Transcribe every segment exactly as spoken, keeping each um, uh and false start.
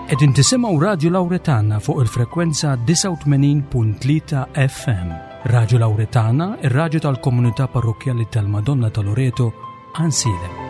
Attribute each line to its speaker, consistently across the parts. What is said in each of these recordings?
Speaker 1: Qegħdin tisimgħu Radju Lawretana fuq il-frekwenza disgħa u tmenin punt tlieta F M. Radju Lawretana, ir-radju tal-Komunità Parrokkjali tal-Madonna ta' Loreto, Għajnsielem.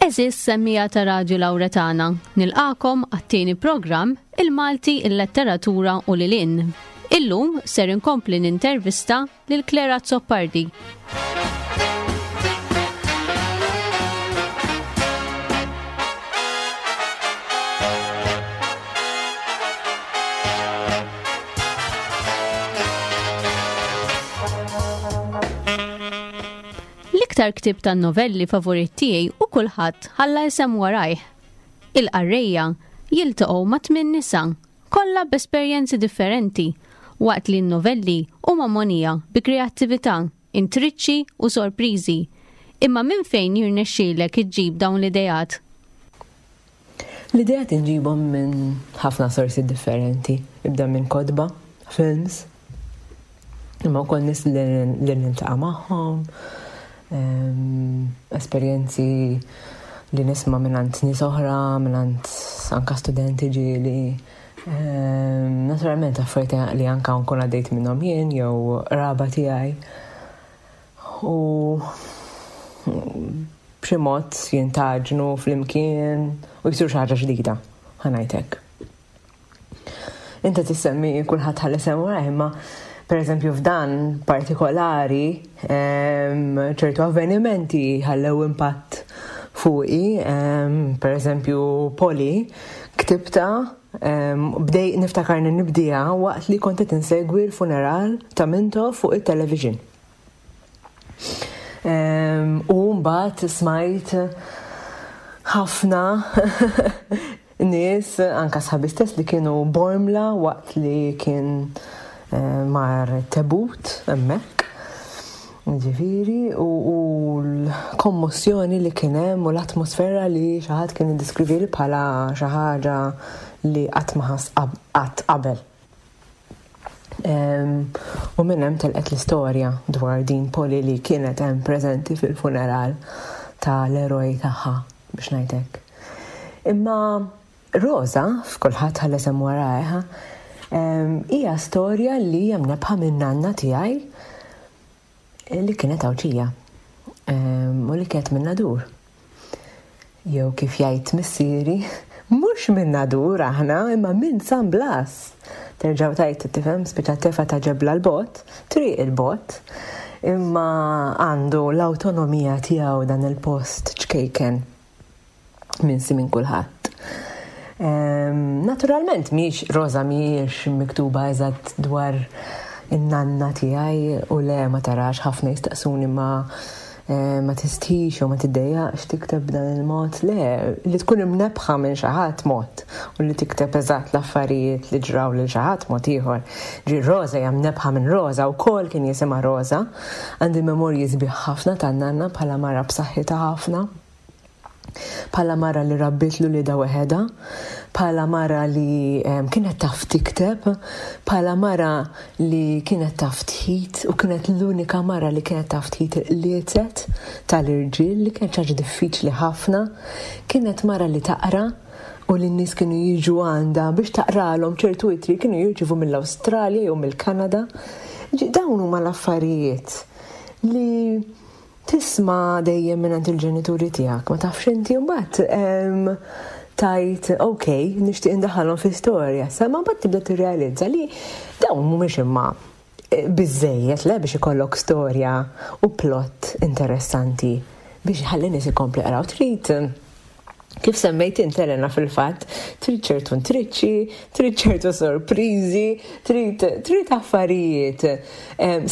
Speaker 2: Għeżież semmiegħa ta' Radju Lawretana, nilqagħkom għat-tieni programm Il-Malti, il-Letteratura u lil hinn. Illum ser inkompli nintervista lil Clare Azzopardi. L-iktar ktib tan novelli favorit tiegħi u Kulħadd ħalla isem warajh. Il-qarrejja jiltaqgħu ma' tmien nisa, kollha b'esperjenzi differenti, waqt li n-novelli huma mogħnija bi kreattività, intriċċi u sorpriżi. Imma minn fejn jirnexxielek iġġib dawn l-idejat?
Speaker 3: L-idejat inġibhom minn ħafna sorsi differenti. Ibda minn kotba, films, imma wkoll nies li li niltaqa' magħhom, em, esperjenzi li nisma' minn nies oħra, minn anka studenti ġieli. Em, Naturalment affarijiet li anka nkun għaddejt minnhom jien jew qraba tiegħi. U b'xi mod jintgħaġnu flimkien u jsir xi ħaġa ġdida, ħa ngħidlek. Inta tissemmi Kulħadd ħalla isem warajh, imma per eżempju f'dan partikolari em, ċertu avvenimenti ħallew impatt fuqi, em, per eżempju Polly ktibtha em, bdej niftakarni nibdieha waqt li kont qed insegwi l-funeral ta' Mintoff fuq il-television. Em, U mbagħad smajt ħafna nies, anka sħabi stess, li kienu Bormla waqt li kien eh, mar tebut hemmhekk. Ġifieri, u, u l-kommossjoni li kien hemm u l-atmosfera li xi ħadd kien iddeskrivi bħala xi ħaġa li qatt ma ħass qatt qabel. Em, U minn hemm telqet l-istorja dwar din Polly li kienet hemm preżenti fil-funeral tal-eroj tagħha, biex ngħidlek. Imma Rosa, f'Kulħadd ħalla isem warajh, em, hija storja li hija mnebbħa minn nanna tiegħi li kienet Għawdxija em, u li kienet minn Nadur. Jew kif jgħid missieri, mhux minn Nadur aħna, imma minn San Blas. Terġaw tajt tifhem, speċa tefa ta' ġebla l-bot, triq il-bot, imma għandu l-autonomija tiegħu dan il-post ċkejken minsi minn kulħadd. Em, Naturalment mhix Rosa mhijiex miktuba eżatt dwar in-nanna tiegħi u le, ma tarax, ħafna jistaqsuni ma eh, ma tistħix u ma tiddejjaqx tikteb b'dan il-mod. Le, li tkun imnebbħa minn xi ħadd mod u li tikteb eżatt l-affarijiet li ġraw lil xi ħadd mod ieħor. Ġi Rosa hija mnebbħa minn Rosa wkoll, kien jisimha Rosa. Għandi memorji sbieħ ħafna tan-nanna bħala mara b'saħħitha ħafna, bħala mara li rabbit l-uliedha weħedha, bħala mara li em, kienet taf tikteb, bħala mara li kienet taf tħit u kienet l-unika mara li kienet taf tħit il-qliezet tal-irġiel, li kienet ħaġa diffiċli ħafna, kienet mara li taqra u li n-nies kienu jiġu għandha biex taqralhom ċertu ittri kienu jirċivu mill-Awstralja jew mill-Kanada. Ġi, dawn huma l-affarijiet li tisma' dejjem minn il-ġenituri tiegħek, ma tafx inti mbagħad em, tajt, ok, nixtieq indaħħalhom fi storja, sa ma mbagħad tibda tirrealizza li dawn mhumiex imma eh, biżejjed le biex ikollok storja u plot interessanti biex ħalli nies ikompli jaqraw. Trid Kif semmejt int, Elena, fil-fatt, trid ċertu intriċċi, trid ċertu sorpriżi, trid trid affarijiet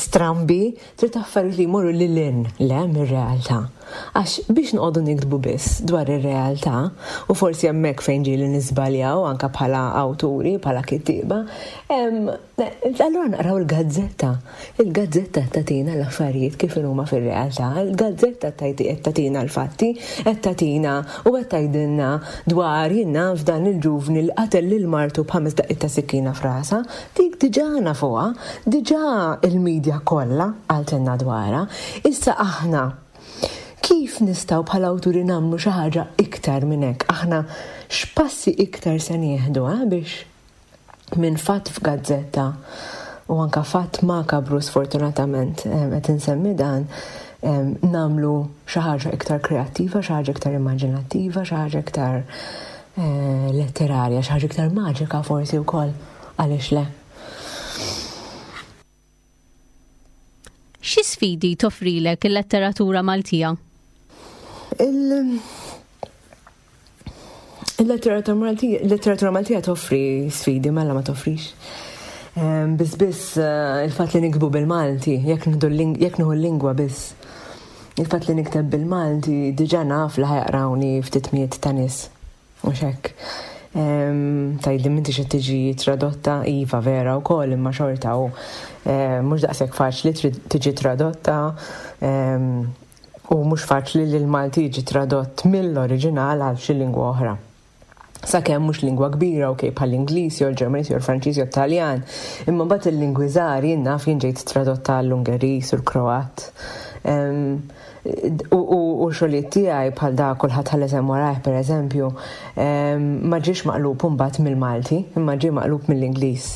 Speaker 3: strambi, trid affarijiet li jmorru lil hinn le mir-realtà. Għax biex noqogħdu niktbu biss dwar ir-realtà, u forsi hemmhekk fejn ġieli niżbaljaw anke bħala awturi, bħala kittieba, allura naqraw il-gazzetta. Il-gazzetta tagħtina l-affarijiet kif huma fir-realtà, il-gazzetta qed tagħtina l-fatti, qed tagħtina u qed tgħidilna dwar, jien naf, dan il-ġuvni li qatel lil martu b'ħames daqqiet ta' sikkina f'rasha, dik diġà nafuha, diġà il-medja kollha qaltilna dwarha. Issa aħna kif nistgħu bħala awturi nagħmlu xi ħaġa iktar minn hekk? Aħna x'passi iktar se nieħdu eh, biex minn fatt f'gazzetta u anka fatt makabru, sfortunatament qed insemmi dan, nagħmlu xi ħaġa iktar kreattiva, xi ħaġa iktar immaġinattiva, xi ħaġa iktar eh, letterarja, xi ħaġa iktar maġika forsi wkoll, għaliex le?
Speaker 2: Xi sfidi toffrilek il-letteratura Maltija?
Speaker 3: Il- Il-letteratura Maltija, il-letteratura Maltija toffri sfidi, mela ma toffrix. Biss biss eh, il-fatt li niktbu bil-Malti, jekk nieħdu l-lingwa biss. Il-fatt li nikteb bil-Malti diġà naf li ħa jaqrawni ftit mijiet ta' nies. Mhux hekk. Tgħidli, "M'intix qed tiġi tradotta?" Iva, vera wkoll, imma xorta u mhux daqshekk faċli tiġi tradotta u mhux faċli li l-Malti jiġi tradott mill-oriġinal għal xi lingwa oħra. Sakemm mhux lingwa kbira, ok, bħall-Ingliż jew l-Ġermaniż jew l-Franċiż jew Taljan, imma mbagħad il-lingwi żgħar, jien naf, jien ġejt tradotta għall-Ungeriż u l-Kroat. U xogħlijiet tiegħi bħal da "Kulħadd ħalla isem warajh", pereżempju, ma ġiex maqlub mbagħad mill-Malti, imma ġie maqlub mill-Ingliż.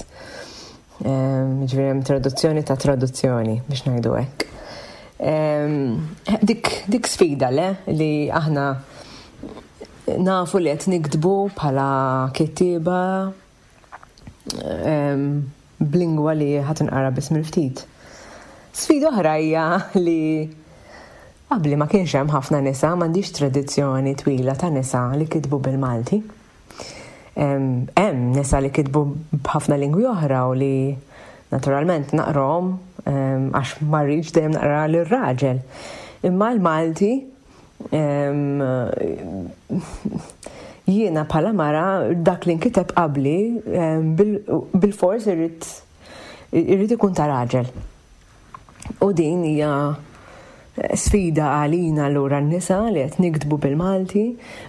Speaker 3: Ġifieri hemm traduzzjoni ta' traduzzjoni, biex ngħidu hekk. Dik, dik sfida, le, li aħna nafu li qed niktbu bħala kittieba b'lingwa li ħa tinqara biss mill-ftit. Sfida oħra hija li qabli ma kienx hemm ħafna nisa, m'għandix tradizzjoni twila ta' nisa li kitbu bil-Malti. Hemm nisa li kitbu b'ħafna lingwi oħra u li naturalment naqrahom għax ma rridx dejjem naqra lir-raġel. Imma l-Malti, jiena bħala mara, dak li nkiteb qabli bil-fors irrid irrid ikun ta' raġel. U din hija sfida għalina allura n-nisa li qed niktbu bil-Malti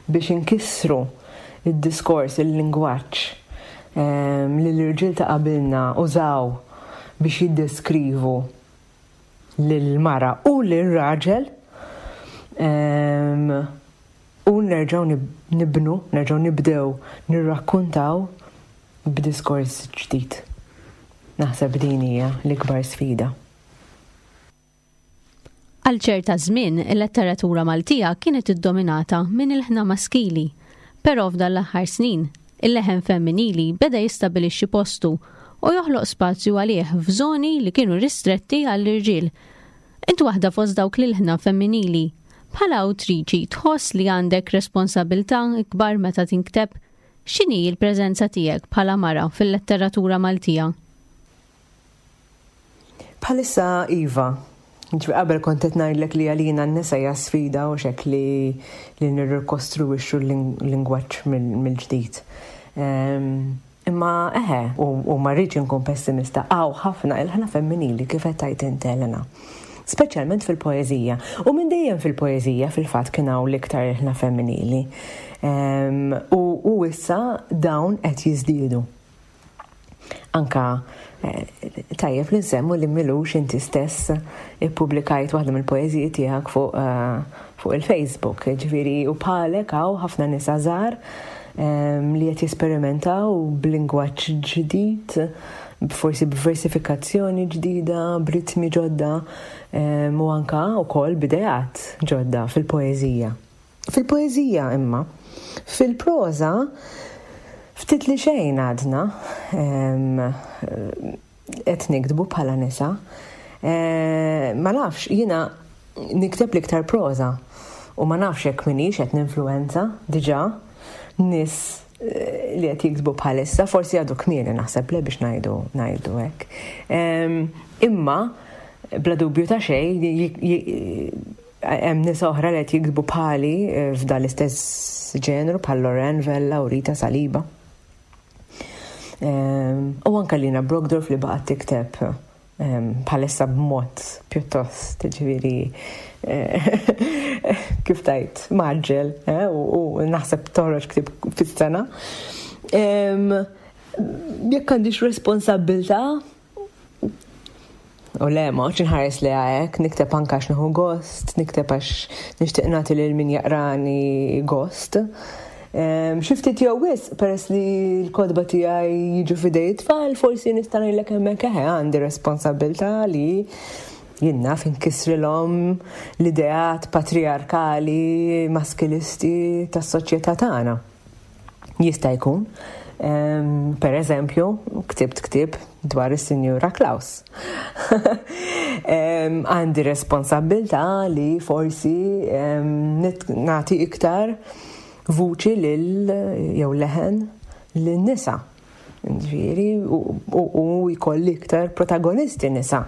Speaker 3: biex inkissru id-diskors, il-lingwaġġ li l-irġiel ta' qabilna użaw biex jiddeskrivu lil-mara u lil-raġel u nerġgħu nibnu, nerġgħu nibdew nirrakkuntaw b'diskors ġdid. Naħseb din hija l-ikbar sfida.
Speaker 2: Għal ċerta żmien, il-letteratura Maltija kienet iddominata minn ilħna maskili, però f'dan l-aħħar snin, il-leħen femminili beda jistabilixxi postu u joħloq spazju għalih f'żoni li kienu ristretti għall-irġiel. Int waħda fost dawk l-ilħna femminili. Bħala awtriċi, tħoss li għandek responsabilità ikbar meta tinkteb? X'inhi l-preżenza tiegħek bħala mara fil-letteratura Maltija?
Speaker 3: Bħalissa iva. Ġifieri qabel kont qed ngħidlek li għalina n-nisa hija sfida u xek li li nirrikostruwixxu l-lingwaġġ mill-ġdid. Imma eħe, u ma rridx inkun pessimista, hawn ħafna ilħna femminili, kif qed tgħid int, Elena. Speċjalment fil-poeżija. U minn dejjem fil-poeżija fil-fatt kien hawn l-iktar ilħna femminili. U issa dawn qed jiżdiedu. Anka eh, tajjeb li nsemmu li m'ilux inti stess ippubblikajt waħda mill-poeżiji tiegħek fuq eh, fuq il-Facebook. Ġifieri u bħalek hawn ħafna nisa żgħar li qed jesperimentaw b'lingwaġġ ġdid, forsi b'versifikazzjoni ġdida, b'ritmi ġodda u anka wkoll b'ideat ġodda fil-poeżija. Fil-poeżija imma, fil-proża ftit li xejn għadna qed niktbu bħala nisa. Ma nafx, jiena nikteb l-iktar proża. U ma nafx jekk minix qed ninfluwenza diġà nies eh, li qed jiktbu bħalissa, forsi għadu kmieni, naħseb, le, biex ngħidu ngħidu hekk. Imma bla dubju ta' xejn hemm nies oħra li qed jiktbu bħali eh, f'dan l-istess ġenru, bħal Loranne Vella u Rita Saliba. U anka Lina Brockdorff, li baqgħet tikteb bħalissa b'mod pjuttost, ġifieri, eh, kif tgħid, mgħaġġel, eh, u naħseb toħroġ ktieb fis-sena. Jekk għandix responsabbiltà, u le, ma nħares li għajek, nikteb anka għax nieħu gost, nikteb għax nixtieq nagħti lil min jaqrani gost. Xi ftit jew wisq, peress li l-kotba tiegħi jiġu f'idej tfal, forsi nista' ngħidlek hemmhekk eħe għandi responsabbiltà li jien naf inkissrilhom l-ideat patriarkali maskilisti tas-soċjetà tagħna. Jista' jkun. Per eżempju, ktibt ktieb dwar is-Sinjura Klaus. Għandi responsabbiltà li forsi nagħti iktar vuċi lil jew leħen lin-nisa. Ġifieri, u jkolli iktar protagonisti nisa.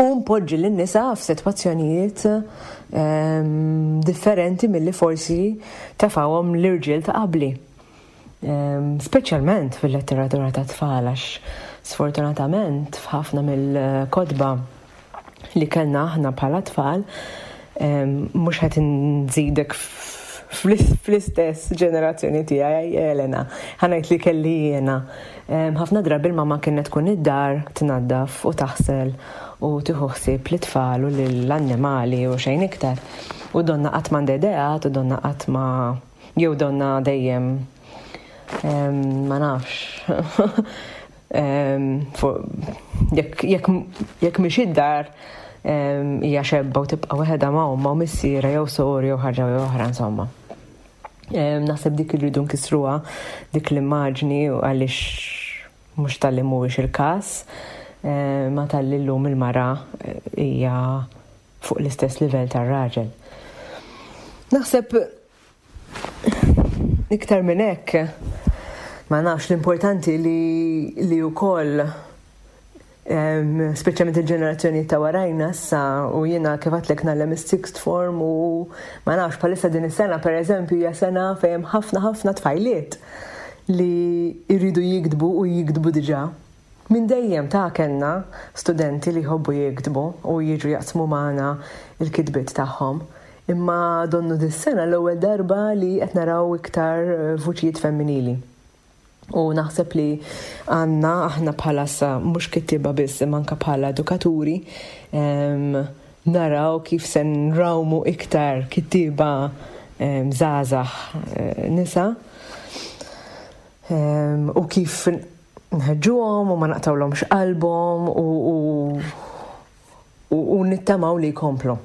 Speaker 3: U npoġġi lin-nisa f'sitwazzjonijiet differenti milli forsi tefgħuhom l-irġiel ta' qabli. Speċjalment fil-letteratura ta' tfal, għax sfortunatament f'ħafna mill-kotba li kellna aħna bħala tfal, mhux qed nżidek fl-istess ġenerazzjoni tiegħi, Elena, ħa ngħid li kelli jiena. Ħafna drabi l-mama kienet tkun id-dar tnaddaf u taħsel u tieħu ħsieb l-tfal u l-annimali u xejn iktar. U donna qatt m'għandha ideat u donna qatt ma jew donna dejjem, ma nafx, jekk mhix id-dar hija xebba u tibqa' waħedha ma' ommha u missiera jew soru jew ħaġa jew oħra, insomma. Naħseb dik irridu nkissruha, dik l-immaġni, għaliex mhux talli mhuwiex il-każ, ma talli llum il-mara hija fuq l-istess livell tar-raġel. Naħseb iktar minn hekk ma nafx. L-importanti li li wkoll, speċjalment il-ġenerazzjoni ta' warajna issa, u jiena kif għedtlek ngħallem is-sixth form, u ma nafx, bħalissa din is-sena, per eżempju, hija sena fejn ħafna ħafna tfajliet li jridu jiktbu u jiktbu diġà. Minn dejjem ta' kellna studenti li jħobbu jiktbu u jiġu jaqsmu magħna il-kitbiet tagħhom. Imma donnu dis-sena l-ewwel darba li qed naraw iktar vuċijiet femminili. U naħseb li għandna aħna bħala sa mhux kittiba biss, imma anka bħala edukaturi, naraw kif se nrawmu iktar kittiba żgħażagħ eh, nisa u kif nħeġġuhom u ma naqtawlhomx qalbhom u, u, u nittamaw li jkomplu.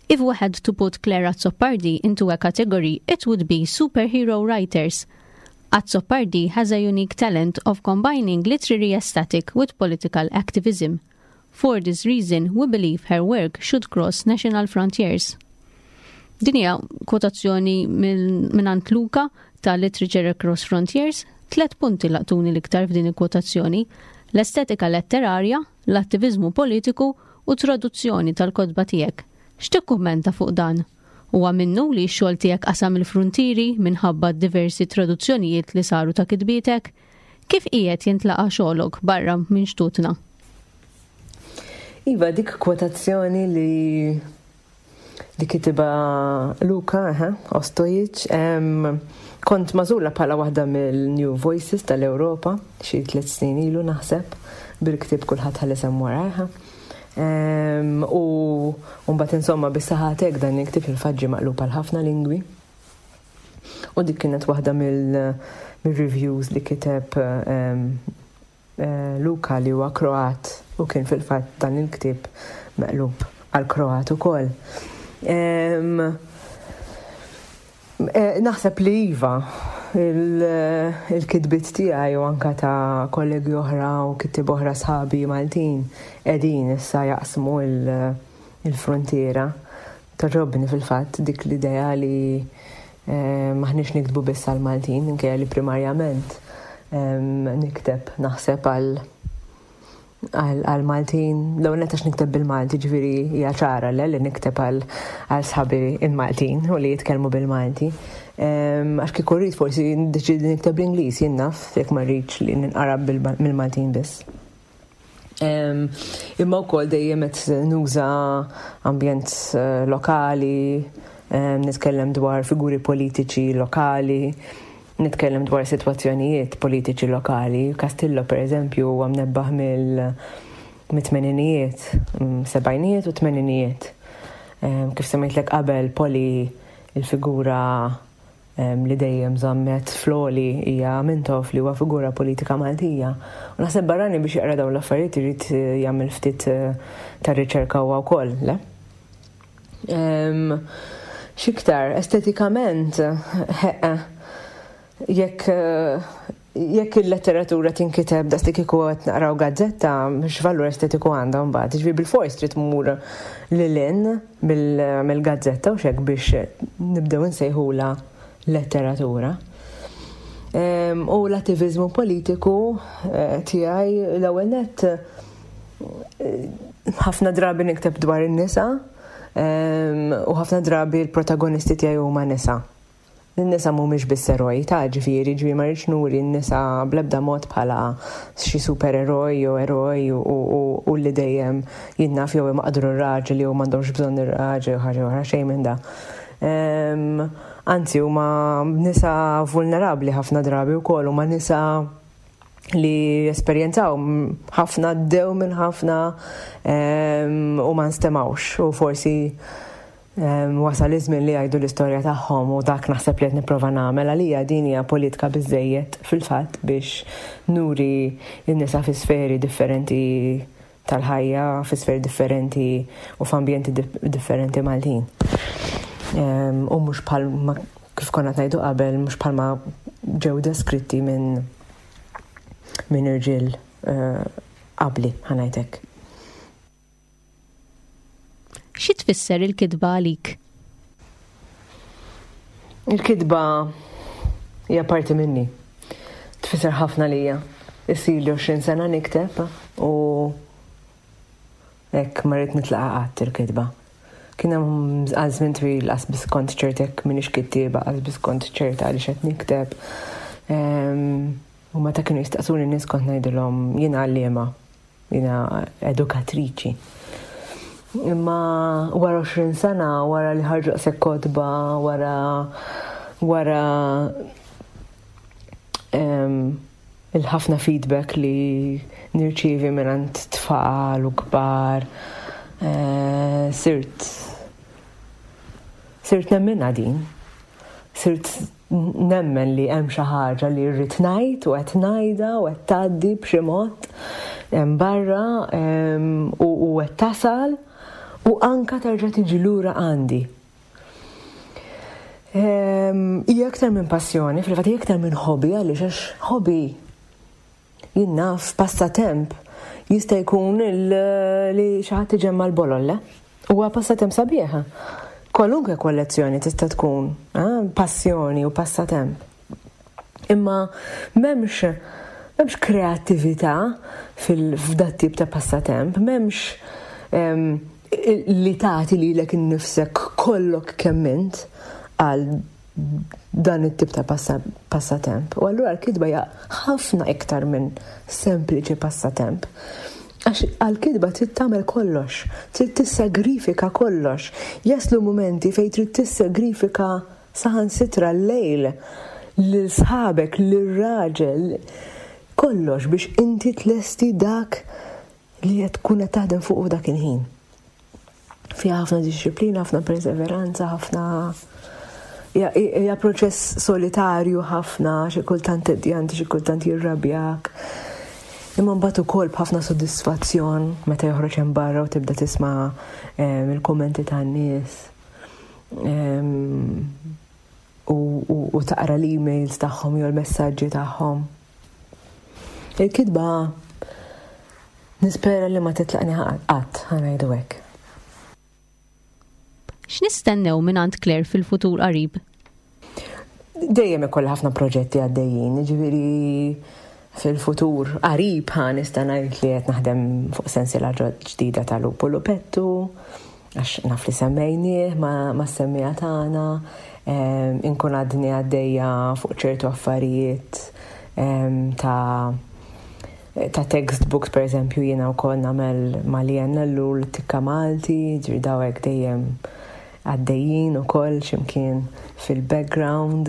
Speaker 2: If we had to put Clare Azzopardi into a category, it would be superhero writers. Azzopardi has a unique talent of combining literary aesthetic with political activism. For this reason, we believe her work should cross national frontiers. Din hija kwotazzjoni minn Luka ta' Literature Across Frontiers. Tlet punti laqtuni l-iktar f'din il-kwotazzjoni: l-estetika letterarja, l-attivizmu politiku u traduzzjoni tal-kotba tiegħek. X'tikkummenta fuq dan? Huwa minnu li x-xogħol tiegħek qasam il-frontieri minħabba diversi traduzzjonijiet li saru ta' kitbietek? Kif qiegħed jintlaqa' xogħolok barra minn xtutna?
Speaker 3: Iva, dik kwotazzjoni li li kitibha Luka eh, Ostojic, kont magħżula bħala waħda mill-New Voices tal-Europa, xi tliet snin ilu naħseb, bil-ktieb Kulħadd Ħalla Isem Warajh. U mbagħad, insomma, bis-saħatek dan il-ktieb il-faġġi maqlub għal ħafna lingwi. U dik kienet waħda mill-reviews li kiteb eh, Luka, li huwa Kroat, u kien fil-fatt dan il-ktieb meqlub għal Kroat ukoll. Eh, naħseb li iva, il-kitbiet tiegħi u anka ta' kollegi oħra u kittieba oħra, sħabi Maltin, qegħdin issa jaqsmu il-frontiera. Togħġobni fil-fatt dik l-idea li eh, m'aħniex niktbu biss għal-Maltin, minkejja li primarjament nikteb naħseb għal għal-Maltin, l-ewwel għax nikteb bil-Malti, ġifieri hija ċara le li nikteb għal sħabi il-Maltin u li jitkellmu bil-Malti. Għax kieku rrid forsi niddeċidi nikteb bl-Ingliż, jien naf, jekk ma rridx li ninqara mill-Maltin biss. Imma wkoll dejjem qed nuża ambjent eh, lokali, nitkellem dwar figuri politiċi lokali, nitkellem dwar sitwazzjonijiet politiċi lokali. Castillo, per eżempju, huwa mnebbaħ mill mit-tmeninijiet, mm, sebgħinijiet u tmeninijiet. Kif semmejtlek qabel, Polly, il-figura li dejjem żammet floli hija Mintoff, li huwa figura politika Maltija. U naħseb barrani biex jaqra dawn l-affarijiet irid eh, jagħmel ftit eh, ta' riċerka huwa wkoll, le? X'iktar, estetikament, jekk eh, jekk il-letteratura tinkiteb daqs li kieku qed naqraw gazzetta, x'valur estetiku għandha mbagħad? Ġifieri bil-fors trid tmur lil hinn mill-gazzetta u xek biex nibdew nsejħula letteratura. U l-attivizmu politiku eh, tiegħi, l-ewwel nett eh, ħafna drabi nikteb dwar in-nisa u ħafna drabi l-protagonisti tiegħi huma nisa. N-nisa mhumiex biss eroj, ta' ġifieri, ġifieri ma rridx nuri n-nisa bl-ebda mod bħala xi supereroj jew eroj u li dejjem jien naf jew imaqdru r-raġel jew m'għandhomx bżonn ir-raġel jew ħaġa oħra, xejn minn da. Anzi, huma nisa vulnerabbli ħafna drabi wkoll, huma nisa li esperjenzaw ħafna, għaddew minn ħafna u ma nstemawx u forsi wasal iż-żmien li jgħidu l-istorja tagħhom u dak naħseb li qed nipprova nagħmel. Għalija din hija politika biżejjed fil-fatt biex nuri n-nisa fi sferi differenti tal-ħajja, fi sferi differenti u f'ambjenti differenti Maltin. U mhux bħal kif konna ngħidu qabel, mhux bħalma ġew deskritti minn minn irġiel eh, qabli, ħa ngħidlek.
Speaker 2: Xi tfisser il-kitba għalik?
Speaker 3: Il-kitba hija parti minni. Tfisser ħafna lija. Issa ili għoxrin sena nikteb u hekk ma rrid nitlaqa qatt il-kitba. Kien hemm għal żmien twil qas biss kont ċerta jekk m'iniex kittieba, qas biss kont ċerta għaliex qed nikteb. U meta kienu jistaqsuni n-nies kont ngħidilhom jiena għalliema, jiena edukatriċi. Imma wara għoxrin sena, wara li ħarġu daqshekk kotba, wara wara il-ħafna feedback li nirċievi minn tfal u kbar, eh, sirt sirt nemminha din. Sirt nemmen li hemm xi ħaġa li rrid ngħid u qed ngħidha u qed tgħaddi b'xi mod barra u qed tasal u anka terġa' tiġi lura għandi. Hija aktar minn passjoni, fil-fatt hija aktar minn hobby, għaliex għax hobby, jien naf, passatemp jista' jkun li xi ħadd iġemma l-bolol, le? Huwa passatemp sabiħa. Kwalunkwe kollezzjoni tista' tkun eh, passjoni u passatemp. Imma m'hemmx m'hemmx kreattività f'dat tip ta' passatemp, m'hemmx li tagħti lilek innifsek kollok kemm int għal dan it-tip ta' passatemp. U allura l-kitba hija ħafna iktar minn sempliċi passatemp. Għax għal-kitba trid tagħmel kollox, trid tissagrifika kollox. Jaslu momenti fejn trid tissagrifika saħansitra l-lejl, lil sħabek, lir-raġel, kollox biex inti tlesti dak li qed tkun qed taħdem fuq dak il-ħin. Fiha ħafna disċiplina, ħafna perseveranza, ħafna hija proċess solitarju ħafna, xi kultant tedjanti, xi kultant jirrabjak. Imma mbagħad ukoll b'ħafna sodisfazzjon meta joħroġ hemm barra u tibda tisma' il-kummenti tan-nies u taqra l-emails tagħhom jew l-messaġġi tagħhom. Il-kitba nispera li ma titlaqni qatt, ħa ngħidu hekk.
Speaker 2: X'nistennew mingħand Claire fil-futur qarib?
Speaker 3: Dejjem ikolli ħafna proġetti għaddejjin, ġifieri fil-futur qarib ħa nista' ngħid li qed naħdem fuq sensiela ġdida ta' Lupu Lupettu, għax naf li semmejnieh ma' semmija tagħna, inkun għadni għaddejja fuq ċertu affarijiet ta' ta' textbooks, per eżempju, jiena wkoll nagħmel ma' l Tikka Malti, ġifieri dawk dejjem għaddejjin ukoll x'imkien fil-background.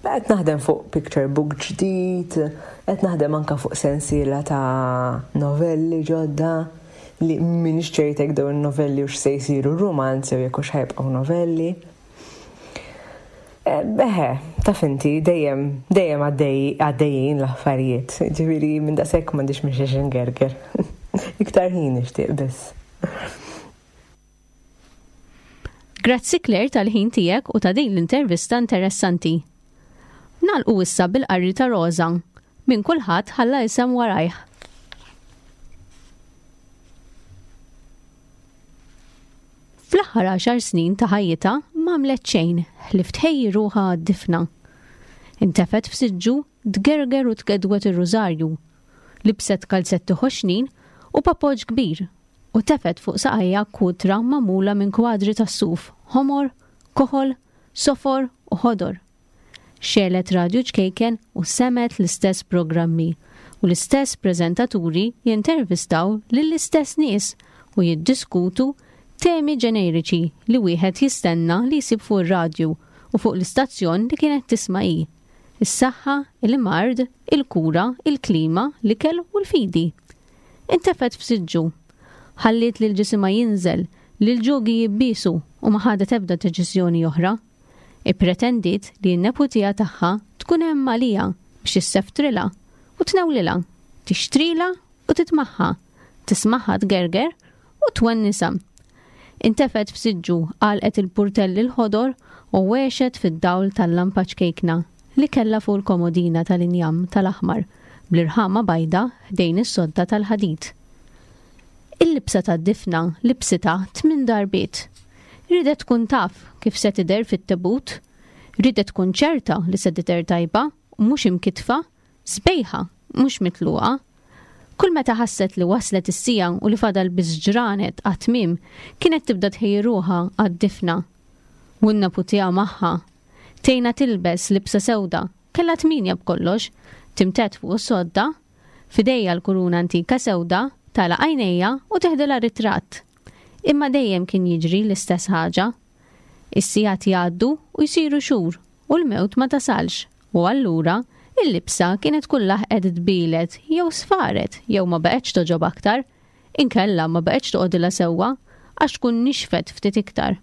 Speaker 3: Qed naħdem fuq picture book ġdid, qed naħdem anka fuq sensiela ta' novelli ġodda li m'iniex ċerta jekk dawn novelli hux se jsiru romanzi jew jekk hux ħa jibqgħu novelli. Eħe, taf inti, dejjem, dejjem għaddejjin l-affarijiet. Ġifieri minn daqshekk m'għandix minn xiex ingerger. Iktar ħin nixtieq biss.
Speaker 2: Grazzi Claire tal-ħin tiegħek u ta' din l-intervista interessanti. Nagħlqu issa bil-qarri ta' Rosa. Minn kulħadd ħalla isem warajh. Fl-aħħar għaxar snin ta' ħajjitha m'għamlet xejn ħlief tħejji ruħha għad-difna. Intefgħet f'siġġu tgerger u tgedwet ir-rużarju. Libset kalzetti ħoxnin u papoġġ kbir u tefgħet fuq saqajja kutra magħmula minn kwadri tas-suf, ħomor, koħol, sofor u ħodor. Xegħlet radju ċkejken u semgħet l-istess programmi u l-istess preżentaturi jintervistaw lill-istess nies u jiddiskutu temi ġeneriċi li wieħed jistenna li jsib fuq ir-radju u fuq l-istazzjon li kienet tisma' hi. Is-saħħa, il-mard, il-kura, il-klima, l-ikel u l-fidi. Intefgħet f'siġġu. Ħalliet lil ġisimha jinżel, lil ġogi jibbiesu u ma ħadet ebda deċiżjoni oħra. Ippretendiet li n-neputija tagħha tkun hemm għaliha biex isseftrila u tnewlilha, tixtrila u titmaħħa, tismaħħa tgerger u twennisa. Intefgħet f'siġġu, għalqet il-purtelli l-ħodor u għexet fid-dawl tal-lampa ċkejkna li kellha fuq il-komodina tal-injam tal-aħmar bl-irħama bajda ħdejn is-sodda tal-ħadid. Il-libsa tad-difna libsitha tmien darbiet. Ridet tkun taf kif se tidher fit-tebut, ridet tkun ċerta li se tidher tajba u mhux imkitfa, sbejħa mhux mitluqa. Kull meta ħasset li waslet is-sija u li fadal biss ġranet għat-tmiem, kienet tibda tħejji ruħha għad-difna. U n-neputija magħha. Tejna tilbes libsa sewda, kellha tminja b'kollox, timtet fuq is-sodda, f'idejja l-kuruna antika sewda, tagħlaq għajnejha u teħdilha ritratt. Imma dejjem kien jiġri l-istess ħaġa. Is-sigħat jgħaddu u jsiru xhur u l-mewt ma tasalx u allura il-libsa kienet tkun laħqet tbilet jew sfaret jew ma baqgħetx toġob aktar, inkella ma baqgħetx toqgħodilha sewwa għax tkun nixfet ftit iktar.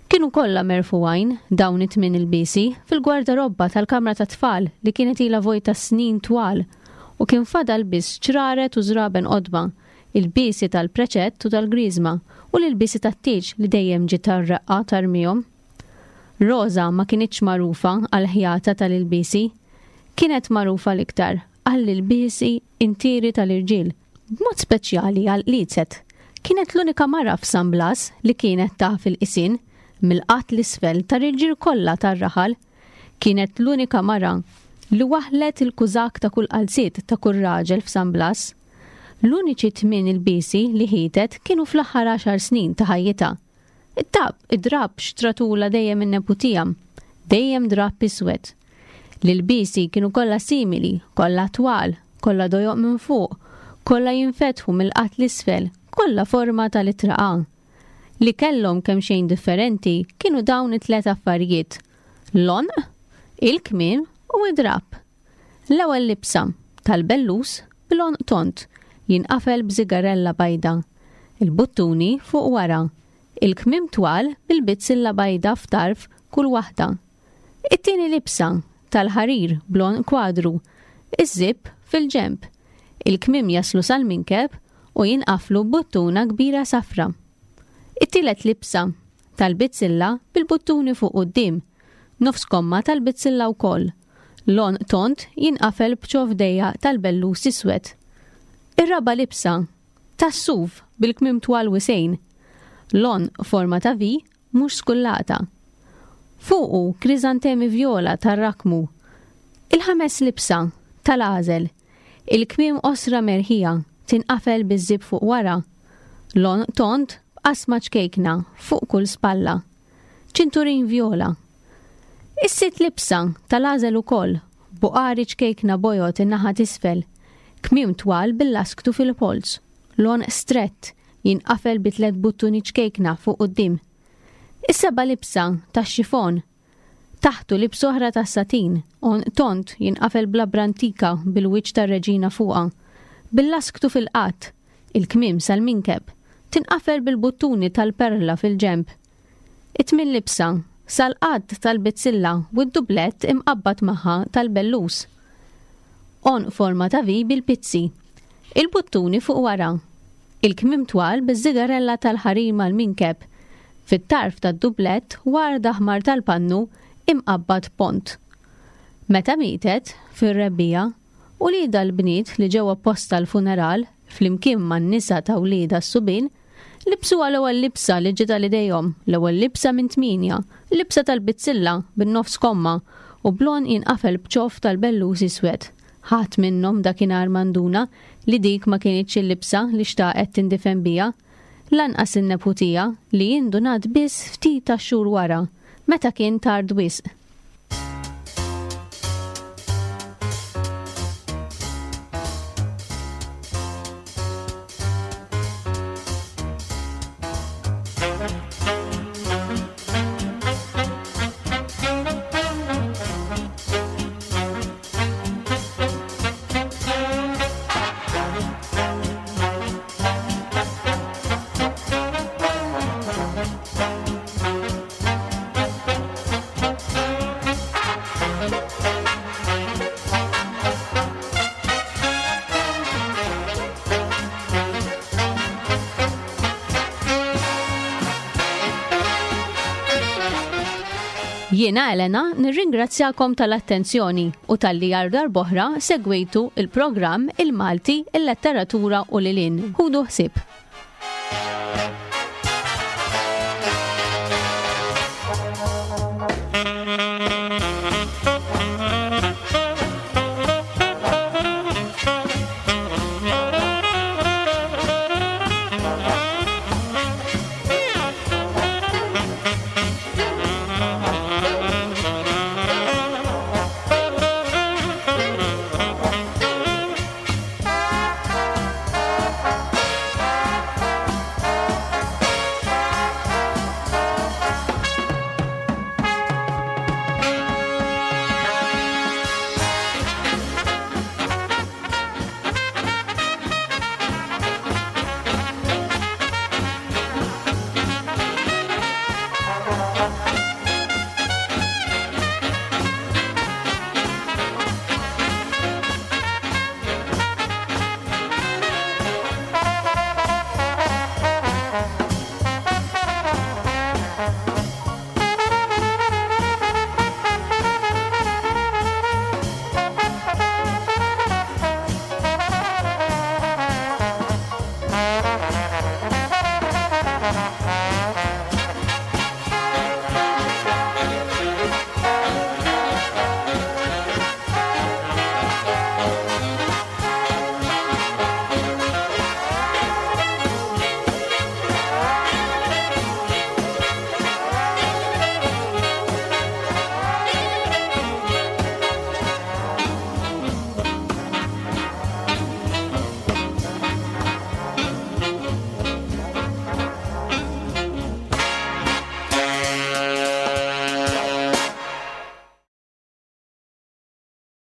Speaker 2: Kienu kollha merfugħin dawn it-tmien ilbiesi fil-gwardarobba tal-kamra tat-tfal li kienet ilha vojta snin twal u kien fadal biss ċraret u żraben qodma, il-biesi tal-preċett u tal-griżma u l-ilbiesi tat-tieġ li dejjem ġiet tar-reqqa tarmihom. Rosa ma kinitx magħrufa għall-ħjata tal-ilbiesi, kienet magħrufa l-iktar għall-ilbiesi intieri tal-irġiel, b'mod speċjali għall-qliezet. Kienet l-unika mara f'San Blas li kienet taf il-qisien mill-qatt l-isfel tar-irġiel kollha tar-raħal. Kienet l-unika mara li waħlet il-kużak ta' kull qalziet ta' kull raġel f'San Blas. L-uniċi tmien ilbiesi li ħietet kienu fl-aħħar għaxar snin ta' ħajjitha. It-tab, id-drapp xtratula dejjem in-neputija, dejjem drapp iswed. L-ilbiesi kienu kollha simili, kollha twal, kollha dojoq minn fuq, kollha jinfetħu mill-qatt l-isfel, kollha forma tal-ittra A. Li kellhom kemm xejn differenti kienu dawn it-tliet affarijiet: l-għonq, il-kmiem u id-drapp. L-ewwel libsa tal-bellus bil-għonq tont jinqafel b'żigarella bajda, il-buttuni fuq wara, il-kmiem twal bil-bizzilla bajda f'tarf kull waħda. It-tieni libsa tal-ħarir bl-għonq kwadru, iż-żip fil-ġemp, il-kmiem jaslu sal-minkeb u jinqaflu b'buttuna kbira safra. It-tielet libsa tal-bizzilla bil-buttuni fuq quddiem, nofs komma tal-bizzilla wkoll. L-għonq tont jinqafel b'ċof dejjaq tal-bellus iswed. Ir-raba' libsa Tas-suf bil-kmiem twal wisgħin. L-għonq forma ta' V mhux skullata. Fuqu kriżantemi vjola tar-rakmu. Il-ħames libsa, tal-għażel. Il-kmiem qosra merħija, tinqafel biż-żip fuq wara. L-għonq tond b'qasma ċkejkna fuq kull spalla. Ċinturin vjola. Is-sitt libsa, tal-għażel ukoll, buqari ċkejkna bojod in-naħa t'isfel. Kmiem twal bil-lasktu fil-polz. L-għonq strett, jinqafel bi tliet buttuni ċkejkna fuq quddiem. Is-seba' libsa, tax-xifon. Taħtu libsa oħra tas-satin, għonq tond jinqafel b'labra antika bil-wiċċ tar-reġina fuqha. Bil-lasktu fil-qadd, il-kmiem sal-minkeb, tinqafel bil-buttuni tal-perla fil-ġenb. It-tmien libsa, sal-qadd tal-bizzilla u d-dublett imqabbad magħha tal-bellus. Għonq forma ta' V bil-pizzi. Il-buttuni fuq wara. Il-kmiem twal biż-żigarella tal-ħarir mal-minkeb. Fit-tarf tad-dublett ward aħmar tal-pannu imqabbad pont. Meta mietet, fir-rebbiegħa, uliedha l-bniet li ġew apposta għall-funeral, flimkien man-nisa ta' wliedha s-subien, libsuha l-ewwel libsa li ġiet għal idejhom, l-ewwel libsa minn tmienja, libsa tal-bizzilla bin-nofs komma u bl-għonq jinqafel b'ċoff tal-bellus iswed. Ħadd minnhom dakinhar ma nduna li dik ma kinitx il-libsa li xtaqet tindifen biha, lanqas in-neputija li indunat biss ftit tax-xhur wara, meta kien tard wisq. Jiena Elena nirringrazzjakom tal-attenzjoni u talli għal darb'oħra segwejtu il-programm Il-Malti, il-Letteratura u lil hinn. Ħudu ħsieb.